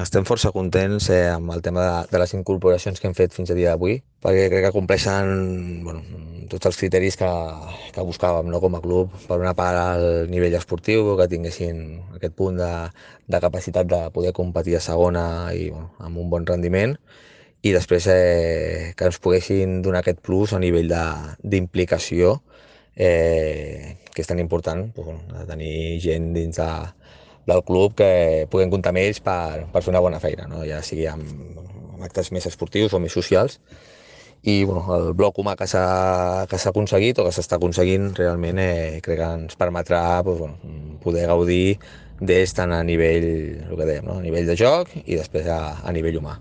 Estem força contents amb el tema de les incorporacions que hem fet fins a dia d'avui, perquè crec que compleixen bueno, tots els criteris que buscàvem, no, com a club. Per una part, el nivell esportiu, que tinguessin aquest punt de capacitat de poder competir a segona i bueno, amb un bon rendiment, i després que ens poguessin donar aquest plus a nivell d'implicació, que és tan important, doncs, bueno, de tenir gent del club que puguem comptar amb ells per fer una bona feina, no? Ja sigui amb actes més esportius o més socials. I bueno, el bloc humà que s'ha aconseguit o que s'està aconseguint realment crec que ens permetrà doncs, bueno, poder gaudir d'ells tant a nivell, el que dèiem, no? A nivell de joc i després a nivell humà.